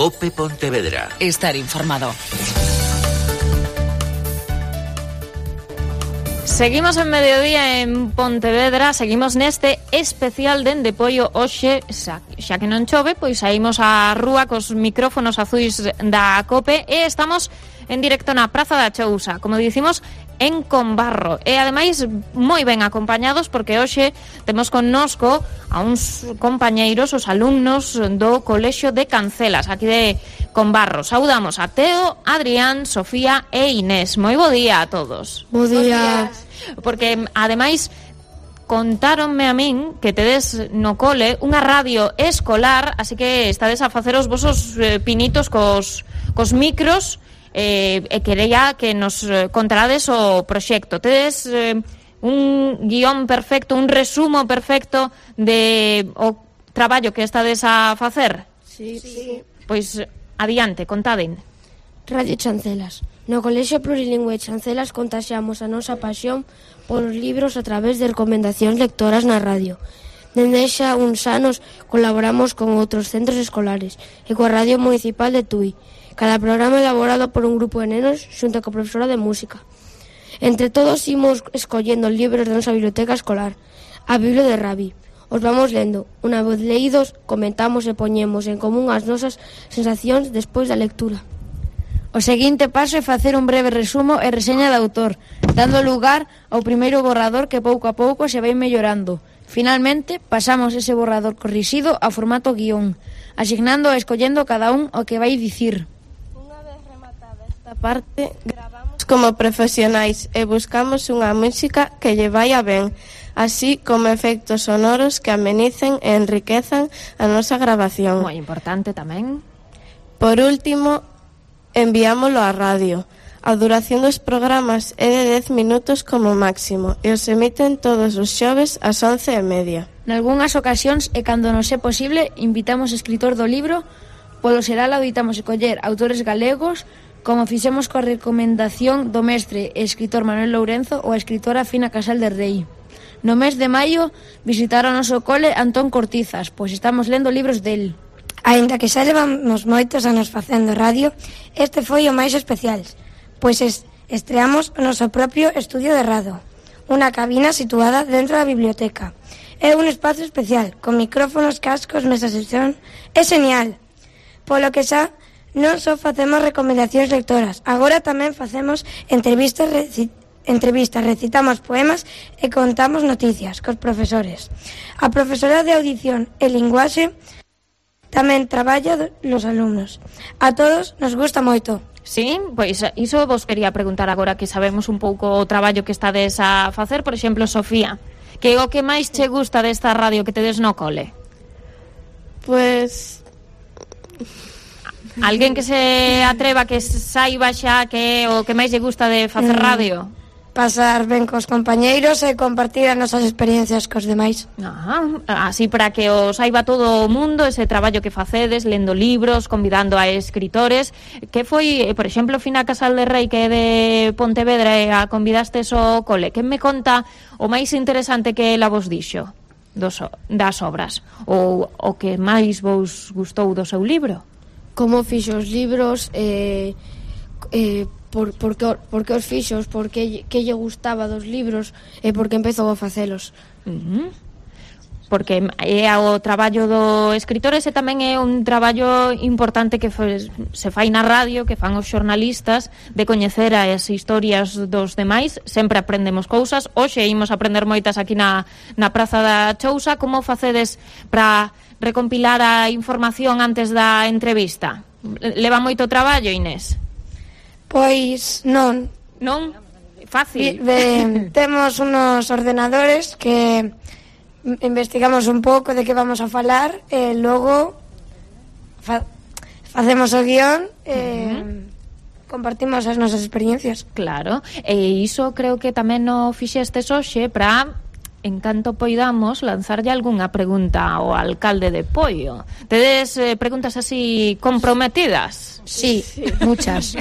COPE Pontevedra. Estar informado. Seguimos en mediodía en Pontevedra, seguimos neste especial dende Poio hoxe, xa que non chove, pois saímos á rúa cos micrófonos azuis da COPE e estamos en directo na Praza da Chousa, como dicimos, en Combarro. E ademais moi ben acompañados porque hoxe temos connosco a uns compañeiros, os alumnos do Colexio de Cancelas, aquí de Combarro. Saudamos a Teo, Adrián, Sofía e Inés. Moi bo día a todos. Bo día. Porque ademais contáronme a min que tedes no cole unha radio escolar, así que estades a facer os vosos pinitos cos micros e quería que nos contarades o proxecto. Tedes un guión perfecto, un resumo perfecto de o traballo que estades a facer? Sí. Pois adiante, contaden. Radio Chancelas. No Colexio Plurilingüe Chancelas contaxiamos a nosa pasión polos libros a través de recomendacións lectoras na radio. Dende xa uns anos colaboramos con outros centros escolares e coa Radio Municipal de Tui. Cada programa elaborado por un grupo de nenos xunto coa profesora de música. Entre todos imos escollendo libros da nosa biblioteca escolar, a Biblia de Rabi. Os vamos lendo. Unha vez leídos, comentamos e poñemos en común as nosas sensacións despois da lectura. O seguinte paso é facer un breve resumo e reseña do autor, dando lugar ao primeiro borrador que pouco a pouco se vai mellorando. Finalmente, pasamos ese borrador corrixido a formato guión, asignando e escollendo cada un o que vai dicir. Unha vez rematada esta parte, gravamos como profesionais e buscamos unha música que lle vai a ben, así como efectos sonoros que amenicen e enriquezan a nosa grabación. Moi importante tamén. Por último, enviámolo á radio. A duración dos programas é de 10 minutos como máximo e os emiten todos os xoves ás 11:30. Nalgúnas ocasións e cando nos é posible, invitamos escritor do libro. Polo xeral adoitamos escoller autores galegos, como fixemos coa recomendación do mestre e escritor Manuel Lourenzo ou a escritora Fina Casal de Rei. No mes de maio visitaron o noso cole Antón Cortizas, pois estamos lendo libros del. Aínda que xa levamos moitos anos facendo radio, este foi o máis especial, pois estreamos o noso propio estudio de radio, unha cabina situada dentro da biblioteca. É un espazo especial, con micrófonos, cascos, mesas de son. É genial, polo que xa non só facemos recomendacións lectoras, agora tamén facemos entrevistas, recitamos poemas e contamos noticias cos profesores. A profesora de audición e linguaxe tamén traballa los alumnos. A todos nos gusta moito. Sí, pois iso vos quería preguntar agora que sabemos un pouco o traballo que estades a facer. Por exemplo, Sofía, que é o que máis che gusta desta radio que tedes no cole? Pois... Alguén que se atreva, que saiba xa que é o que máis lle gusta de facer radio? Pasar ben cos compañeiros e compartir as nosas experiencias cos demais. Así para que o saiba todo o mundo ese traballo que facedes, lendo libros, convidando a escritores. Que foi, por exemplo, Fina Casal de Rei, que é de Pontevedra, e a convidastes ao cole. Que me conta o máis interesante que ela vos dixo das obras? Ou o que máis vos gustou do seu libro? Como fixo os libros, por que os fixos, por que lle gustaba dos libros e por que empezou a facelos. Porque é o traballo do escritor, ese tamén é un traballo importante que se fai na radio, que fan os xornalistas, de coñecer as historias dos demais. Sempre aprendemos cousas. Hoxe imos aprender moitas aquí na Praza da Chousa. Como facedes para recompilar a información antes da entrevista? Leva moito traballo, Inés? Pois non. Non? Fácil. Temos unos ordenadores que investigamos un pouco de que vamos a falar e logo facemos o guión e compartimos as nosas experiencias. Claro, e iso creo que tamén o fixestes hoxe para, en canto poidamos, lanzarlle algunha pregunta ao alcalde de Poio. Tedes preguntas así comprometidas? Sí, muchas.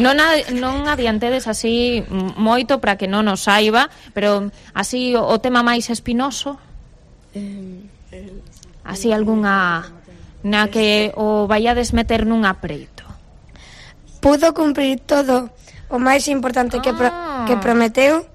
Non adiantedes así moito para que non nos saiba, pero así o tema máis espinoso? Así algunha na que o vaiades meter nun apreito? Pudo cumprir todo o máis importante que prometeu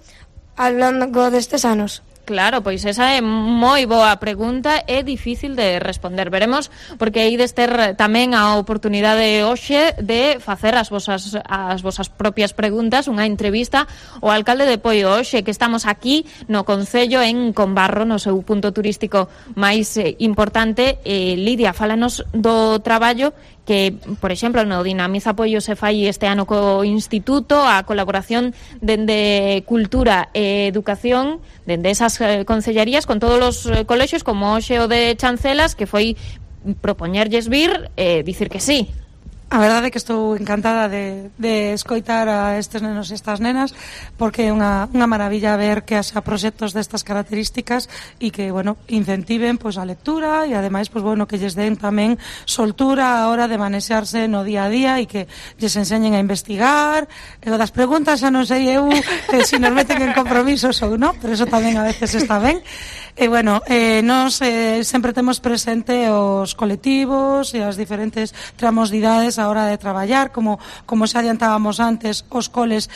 ao longo destes anos? Claro, pois esa é moi boa pregunta, é difícil de responder. Veremos, porque ides ter tamén a oportunidade hoxe de facer as vosas propias preguntas, unha entrevista ao alcalde de Poio hoxe, que estamos aquí no Concello en Combarro, no seu punto turístico máis importante. Lidia, fálanos do traballo que, por exemplo, no Dinamiza Poio se fai este ano co Instituto, a colaboración dende Cultura e Educación, dende esas concellarías con todos os colexios, como hoxe o de Chancelas, que foi propoñerlles vir e dicir que sí. A verdade é que estou encantada de escoitar a estes nenos e estas nenas, porque é unha maravilla ver que haxa proxectos destas características e que, bueno, incentiven pois a lectura e ademais, pois bueno, que lles den tamén soltura a hora de manexarse no día a día e que lles enseñen a investigar. E o das preguntas xa non sei eu se nos meten en compromisos ou non, pero eso tamén a veces está ben. E, bueno, nos sempre temos presente os colectivos e as diferentes tramos de idades a hora de traballar, como xa adiantábamos antes, os coles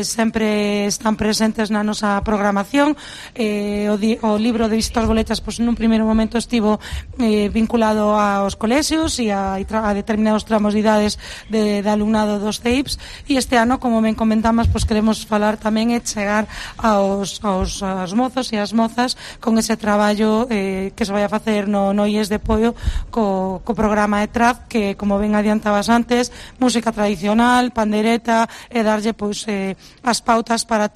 sempre están presentes na nosa programación. O libro de visitas boletas, pois nun primeiro momento estivo vinculado aos colexios e a determinados tramos de idades de alumnado dos CEIPs, e este ano, como ben comentamos, pois queremos falar tamén e chegar aos mozos e as mozas con ese traballo que se vai a facer no IES de Poio co programa ETRAD, que, como ben adiantabas antes, música tradicional, pandereta, e darlle pois as pautas para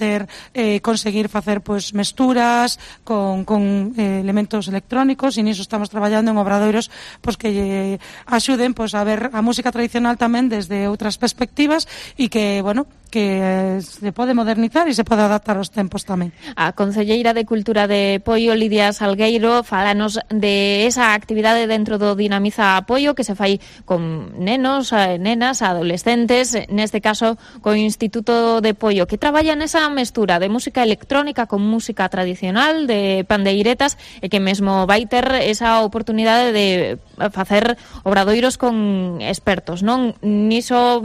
conseguir facer pois mesturas con elementos electrónicos, e niso estamos traballando en obradoiros pois que axuden pois a ver a música tradicional tamén desde outras perspectivas, e que, bueno, que se pode modernizar e se pode adaptar aos tempos tamén. A concelleira de Cultura de Poio, Lidia Salgueiro, fálanos de esa actividade dentro do Dinamiza Poio que se fai con nenos, nenas, adolescentes, neste caso co Instituto de Poio, que traballa nesa mestura de música electrónica con música tradicional, de pandeiretas, e que mesmo vai ter esa oportunidade de facer obradoiros con expertos, non? Niso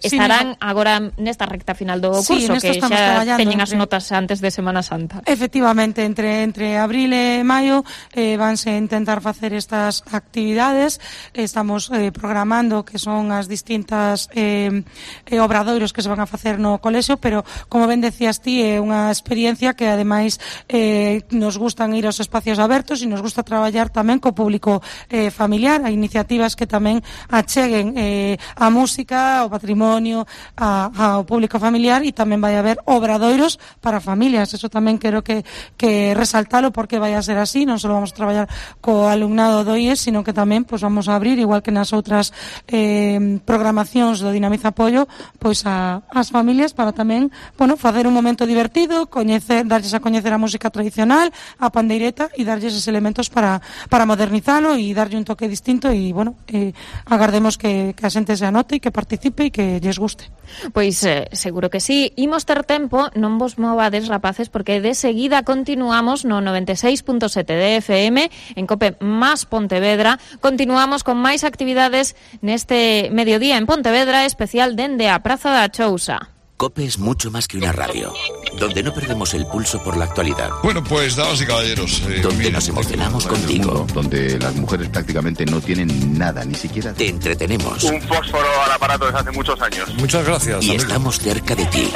estarán agora nesta recta final do curso, que xa teñen as notas antes de Semana Santa. Efectivamente, entre abril e maio vanse intentar facer estas actividades. Estamos programando que son as distintas obradoiros que se van a facer no colexio, pero, como ben decías ti, é unha experiencia que, ademais, nos gustan ir aos espacios abertos e nos gusta traballar tamén co público familiar, a iniciativas que tamén acheguen a música, o patrimonio, ao público familiar, e tamén vai haber obradoiros para familias. Eso tamén quero que resaltalo, porque vai a ser así. Non só vamos a traballar co alumnado do IES, sino que tamén pois vamos a abrir, igual que nas outras programacións do Dinamiza Poio, pois as familias, para tamén, bueno, facer un momento divertido, darlles a coñecer a música tradicional, a pandeireta, e darlles esos elementos para modernizalo e darlle un toque distinto. E, bueno, agardemos que a xente se anote e que participe e que lles guste. Pois seguro que sí. Imos ter tempo, non vos movades, rapaces, porque de seguida continuamos no 96.7 de FM en Cope Más Pontevedra. Continuamos con máis actividades neste mediodía en Pontevedra, especial dende a Praza da Chousa. COPE es mucho más que una radio, donde no perdemos el pulso por la actualidad. Bueno, pues, damas y caballeros... donde nos emocionamos contigo. Donde las mujeres prácticamente no tienen nada, ni siquiera... Te entretenemos. Un fósforo al aparato desde hace muchos años. Muchas gracias. Y amigo, estamos cerca de ti.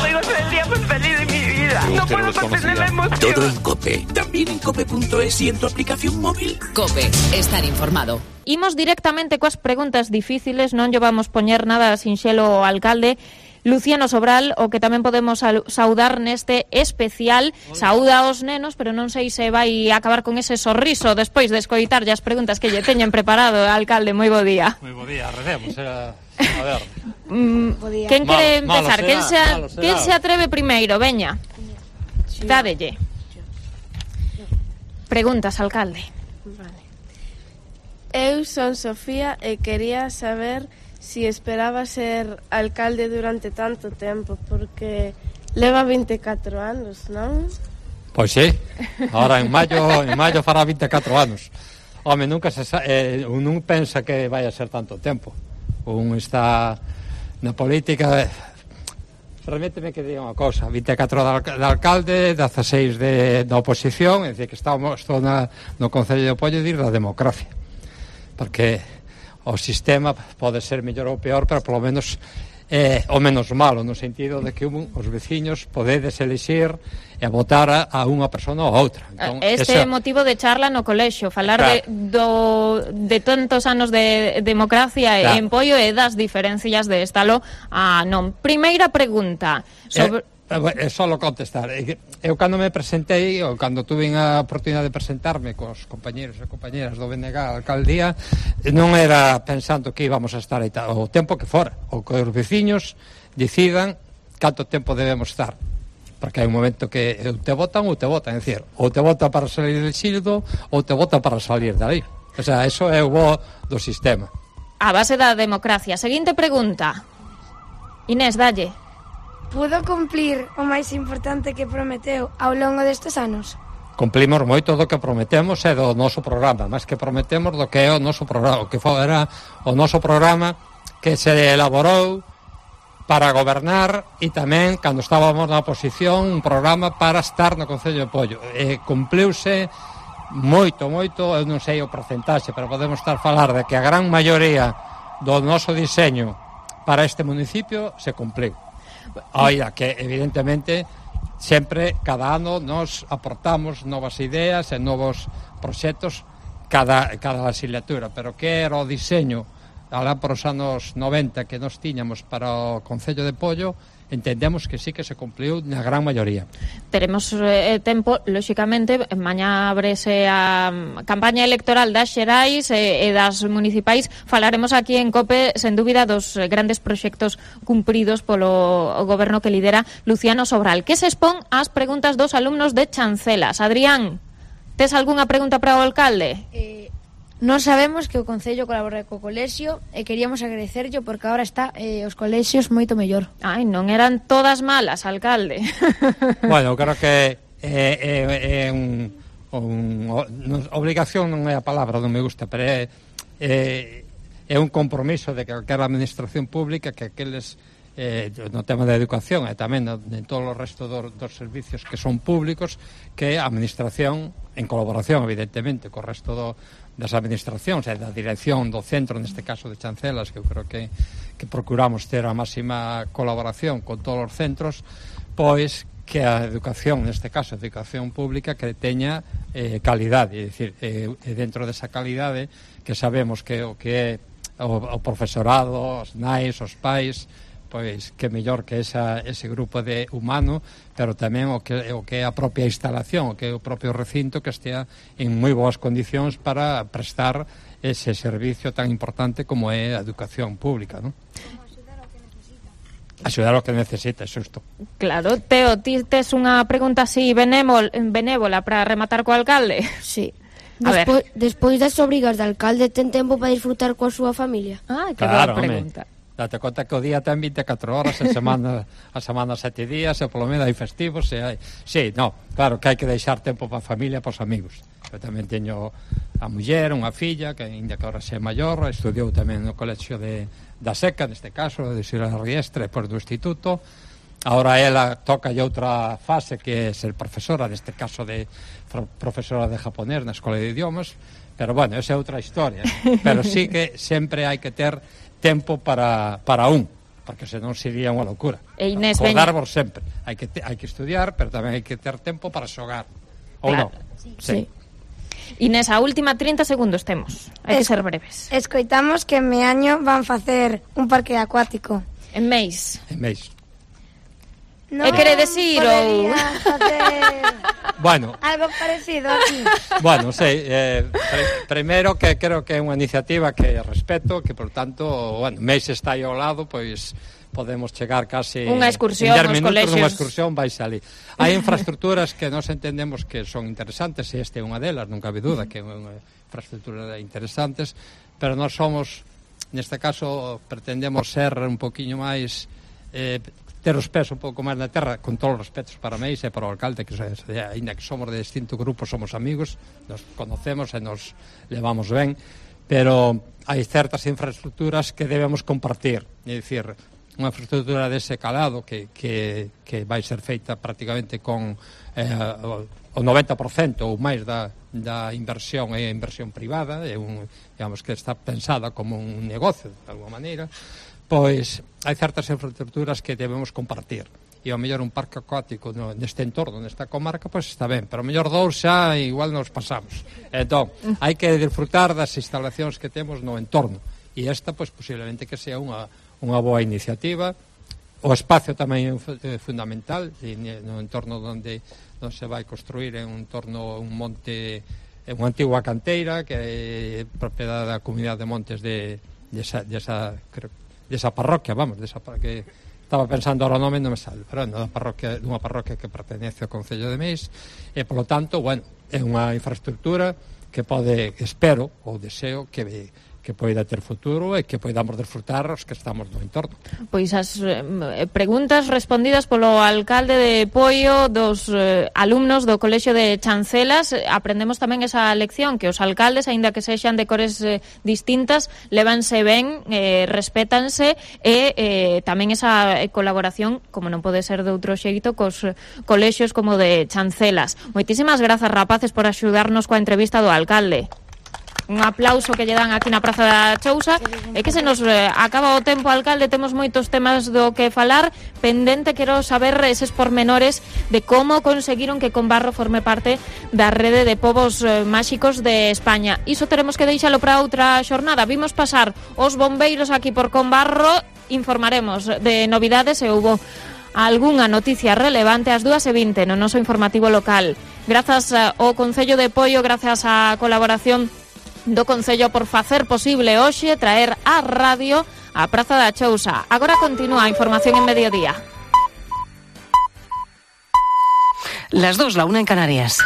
Soy el día más feliz de mi vida. No puedo contener la emoción. Todo en COPE. También en cope.es y en tu aplicación móvil. COPE. Estar informado. Imos directamente coas preguntas difíciles, non lle vamos poñer nada sinxelo ao alcalde Luciano Sobral, o que tamén podemos saudar neste especial. Saúda aos nenos, pero non sei se vai acabar con ese sorriso despois de escoitar as preguntas que lle teñen preparado. Alcalde, moi bo día. Moi bo día, recemos. A ver. Quen quere empezar? Quen se atreve primeiro? Veña, dádelle. Preguntas, alcalde. Eu son Sofía e quería saber si esperaba ser alcalde durante tanto tempo, porque leva 24 anos, non? Pois sí, ahora en maio fará 24 anos. Home, nunca se non pensa que vai a ser tanto tempo. Un está na política. Permíteme que diga unha cousa, 24 de alcalde, 16 da oposición, é dicir, que estou no Concello de Pollo dir da democracia, porque o sistema pode ser mellor ou peor, pero polo menos o menos malo, no sentido de que os veciños podedes elixir e votar a unha persona ou a outra. Entón, este é motivo de charla no colexio, falar de tantos anos de democracia en Pollo e das diferencias de estalo a non. Primeira pregunta sobre... É só contestar. Eu cando me presentei, ou cando tuve a oportunidade de presentarme cos compañeros e compañeras do BNG a alcaldía, non era pensando que íbamos a estar aí o tempo que fora, ou que os veciños decidan canto tempo debemos estar, porque hai un momento que te votan, é dicir, ou te votan para salir del xildo ou te votan para salir dali. O sea, eso é o bo do sistema. A base da democracia. Seguinte pregunta. Inés, dalle. Pudo cumplir o máis importante que prometeu ao longo destes anos? Cumplimos moito do que prometemos e do noso programa, máis que prometemos do que é o noso programa, o que era o noso programa que se elaborou para gobernar e tamén, cando estábamos na oposición, un programa para estar no Concello de Pollo. Cumpliuse moito, eu non sei o porcentaxe, pero podemos estar a falar de que a gran maioría do noso diseño para este municipio se cumpliu. Oira, que evidentemente sempre, cada ano, nos aportamos novas ideas e novos proxectos cada legislatura, pero que era o diseño alá por os anos 90 que nos tiñamos para o Concello de Pollo, entendemos que sí que se cumpliu na gran maioría. Teremos tempo, lóxicamente, mañá abrese a campaña electoral das xerais e das municipais. Falaremos aquí en COPE, sen dúbida, dos grandes proxectos cumpridos polo goberno que lidera Luciano Sobral. Que se expón ás preguntas dos alumnos de Chancelas. Adrián, tes algunha pregunta para o alcalde? Non sabemos que o Concello colabora co colexio e queríamos agradecerlle porque agora está os colexios moito mellor. Ai, non eran todas malas, alcalde. Bueno, creo que obligación non é a palabra, non me gusta, pero é un compromiso de calquera administración pública que aqueles no tema da educación e tamén en todo o resto dos servicios que son públicos, que a administración, en colaboración evidentemente co resto das administracións e da dirección do centro, neste caso de Chancelas, que eu creo que procuramos ter a máxima colaboración con todos os centros, pois que a educación, neste caso a educación pública, que teña calidade, é dicir, dentro desa calidade que sabemos que o que é o profesorado, os nais, os pais, pois que mellor que ese grupo de humano, pero tamén o que é a propia instalación, o que é o propio recinto, que estea en moi boas condicións para prestar ese servicio tan importante como é a educación pública, non? Axudar o que necesita, xusto. Claro. Teo, ti tes unha pregunta así benévola para rematar co alcalde? Sí. Despois das obrigas do alcalde, ten tempo para disfrutar coa súa familia? Que boa pregunta. Date conta que o día ten 24 horas, a semana 7 días, e polo menos hai festivos, e hai... Sí, claro que hai que deixar tempo para a familia e para os amigos. Eu tamén teño a muller, unha filla, que ainda que ahora xe maior, estudiou tamén no colexio da Seca, neste caso, de Sira Riestre, depois do instituto. Ahora ela toca outra fase, que é ser profesora, neste caso de profesora de japonés na Escola de Idiomas, pero bueno, esa é outra historia. Pero sí que sempre hai que ter tempo para un, porque senón sería unha locura. E Inés, acordarvos sempre. Hai que estudiar, pero tamén hai que ter tempo para xogar. Ou non? Sí. Inés, a última 30 segundos temos. Hai que ser breves. Escoitamos que en Meaño van facer un parque acuático. En Meis. Non quere decir ou bueno, algo parecido aquí. Bueno, sei, primeiro que creo que é unha iniciativa que respeto, que por tanto, bueno, Meis está aí ao lado, pois podemos chegar casi unha excursión en 10 minutos colexios. Unha excursión vai salir. Hai infraestructuras que nos entendemos que son interesantes, e este é unha delas, non cabe duda que é unha infraestructura interesantes, pero nós somos, neste caso, pretendemos ser un poquinho máis ter os pés un pouco máis na terra, con todos os respetos para mí e para o alcalde, que ainda que somos de distinto grupo, somos amigos, nos conocemos e nos levamos ben, pero hai certas infraestructuras que debemos compartir, é dicir, unha infraestructura dese calado que vai ser feita prácticamente con o 90% ou máis da inversión é inversión privada, digamos que está pensada como un negocio de alguma maneira, pois hai certas infraestructuras que debemos compartir, e ao mellor un parque acuático neste entorno, nesta comarca, pois está ben, pero ao mellor dous xa igual nos pasamos. Entón, hai que disfrutar das instalacións que temos no entorno, e esta, pois, posiblemente que sea unha boa iniciativa. O espacio tamén é fundamental, no entorno onde se vai construir en un entorno, un monte, unha antigua canteira que é propiedade da Comunidade de Montes desa parroquia, vamos, que estaba pensando ahora o nome, non me sale, pero dunha parroquia que pertenece ao Concello de Meis, e polo tanto, bueno, é unha infraestructura que pode, espero, ou deseo que poida ter futuro e que poidamos disfrutar os que estamos no entorno. Pois as preguntas respondidas polo alcalde de Poio, dos alumnos do Colexio de Chancelas, aprendemos tamén esa lección, que os alcaldes, aínda que sexan de cores distintas, levanse ben, respétanse, e tamén esa colaboración, como non pode ser de outro xeito, cos colexios como de Chancelas. Moitísimas grazas, rapaces, por axudarnos coa entrevista do alcalde. Un aplauso que lle dan aquí na Praza da Chousa. É que se nos acaba o tempo, alcalde, temos moitos temas do que falar. Pendente, quero saber eses pormenores de como conseguiron que Combarro forme parte da rede de povos máxicos de España. Iso teremos que deixalo para outra xornada. Vimos pasar os bombeiros aquí por Combarro, informaremos de novidades e houbo algunha noticia relevante ás 2:20 no noso informativo local. Grazas ao Concello de Poio, grazas á colaboración do Concello por facer posible hoxe traer a radio á Praza da Chousa. Agora continúa a información en mediodía. Las 2, la 1 en Canarias.